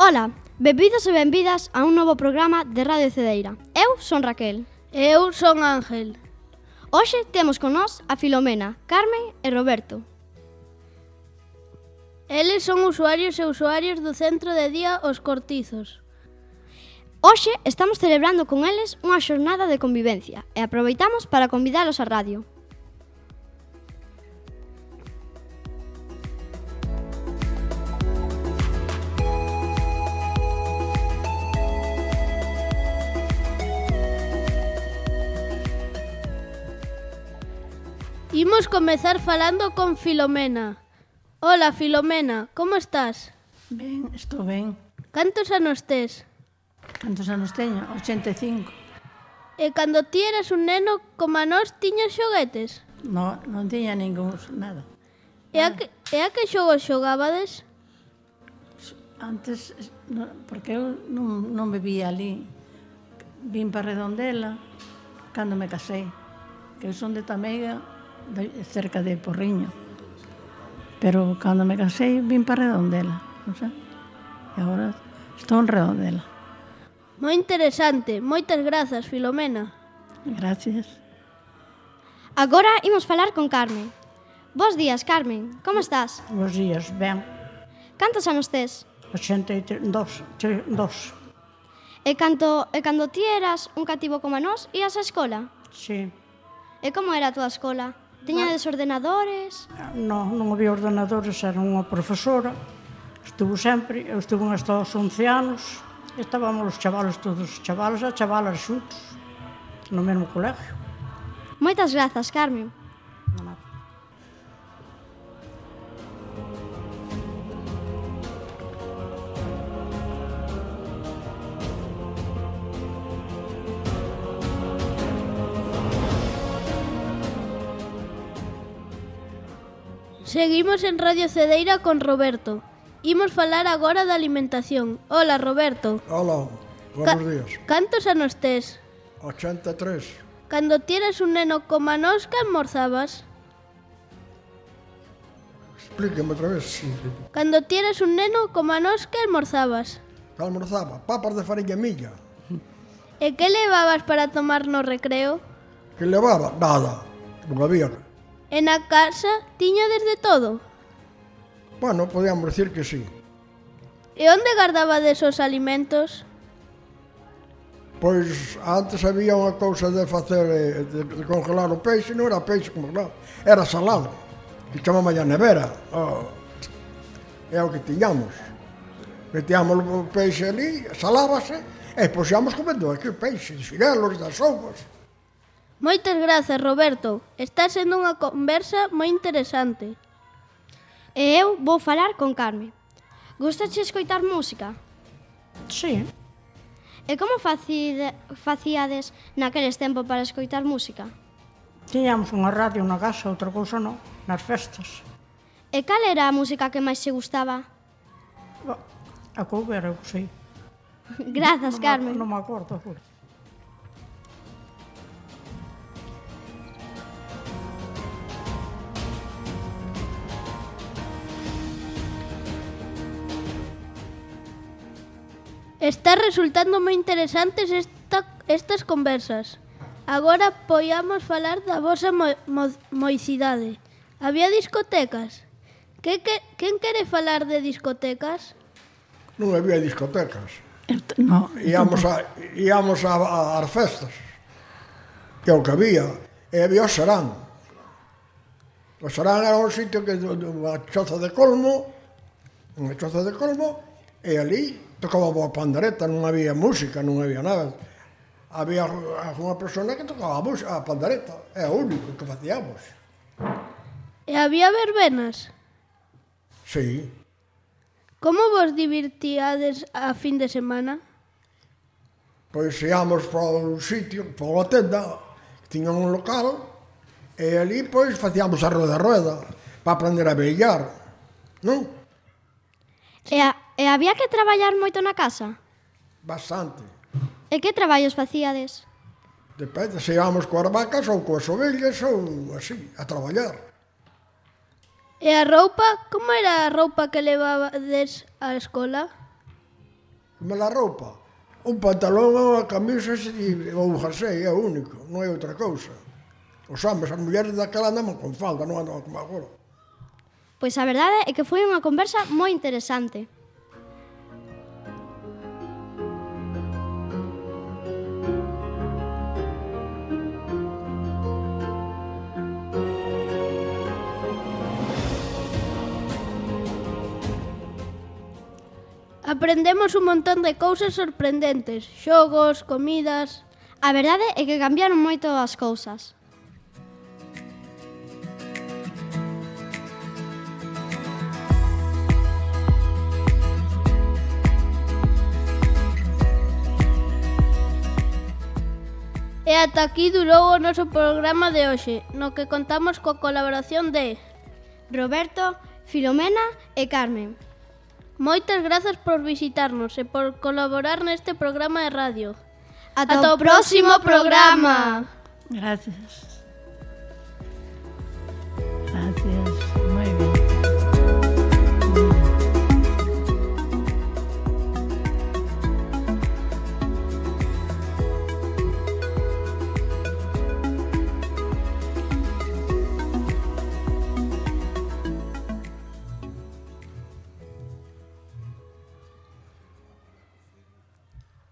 Ola, benvidos e benvidas a un novo programa de Radio Cedeira. Eu son Raquel. Eu son Ángel. Hoxe temos con nós a Filomena, Carmen e Roberto. Eles son usuarios e usuarias do Centro de Día Os Cortizos. Hoxe estamos celebrando con eles unha xornada de convivencia e aproveitamos para convidalos á radio. Imos comezar falando con Filomena. Ola, Filomena, como estás? Ben, estou ben. Cantos anos tes? Cantos anos teño? 85. E cando ti eras un neno, como a nós, tiñas xoguetes? Non tiña ningún nada. E a que xogos xogabades? Antes, porque eu non vivía ali. Vim para Redondela cando me casei. Que eu son de Tameiga, cerca de Porriño. Pero cando me casei, vim para Redondela. Non sei. E agora estou en Redondela. Moi interesante. Moitas grazas, Filomena. Gracias. Agora imos falar con Carmen. Bos días, Carmen. Como estás? Bos días, ben. Cantos anos tes? 82. E cando ti eras un cativo como nós, ías á escola? Sí. E como era a túa escola? Tiñades ordenadores? Non había ordenadores, era unha profesora. Estuvo sempre, eu estuve hasta os 11 anos. Estábamos os chavalos, todos os chavalos e chavalas xuntos, no mesmo colegio. Moitas grazas, Carmen. Non nada. Seguimos en Radio Cedeira con Roberto. Imos falar agora da alimentación. Ola, Roberto. Hola, buenos días. Cantos anos tes? 83. Cando ti eras un neno como a nós, que almorzabas? Explíqueme outra vez. Sí. Cando ti eras un neno como a nós, que almorzabas? Que almorzaba? Papas de fariña milla. E que levabas para tomar no recreo? Que levaba? Nada. Non había. E na casa tiñades de todo? Bueno, podíamos decir que sí. E onde gardabades os alimentos? Pois antes había unha cousa de facer, de congelar o peixe, non era peixe como non, era salado. Que chamamos a nevera. É o que tiñamos. Metíamos o peixe ali, salábase, e poxíamos comendo aquí o peixe, de xirelos, das sopas. Moitas grazas, Roberto. Está sendo unha conversa moi interesante. E eu vou falar con Carmen. Gustache escoitar música? Sí. E como facíades naqueles tempos para escoitar música? Tiñamos unha radio na casa, outra cousa non, nas festas. E cal era a música que máis se gustaba? A cover, eu sei. Grazas, Carmen. Non me acordo, juro. Está resultando moi interesantes estas conversas. Agora poiamos falar da vosa moicidade. Había discotecas? Quen quere falar de discotecas? Non había discotecas. No, Íamos ás festas. Que é o que había. E había o Serán. O Serán era un sitio que unha choza de colmo, e ali tocaba a pandereta, non había música, non había nada. Había unha persona que tocaba a pandereta, é o único que facíamos. E había verbenas? Sí. Como vos divertíades a fin de semana? Pois íamos para un sitio, para unha tenda, que tiña un local, e ali pois facíamos a rueda, para aprender a vellar, non? E había que traballar moito na casa? Bastante. E que traballos facíades? Depende, se íamos coas vacas ou coas ovellas ou así, a traballar. E a roupa? Como era a roupa que levabades á escola? Como la roupa. Un pantalón ou a camisa ou un jersey, é o único, non hai outra cousa. Os homes, as mulleres daquela andaban con falda, non andaban como agora. Pois a verdade é que foi unha conversa moi interesante. Aprendemos un montón de cousas sorprendentes, xogos, comidas... A verdade é que cambiaron moito as cousas. E ata aquí durou o noso programa de hoxe, no que contamos coa colaboración de Roberto, Filomena e Carmen. Moitas grazas por visitarnos e por colaborar neste programa de radio. Ata o próximo programa! Gracias.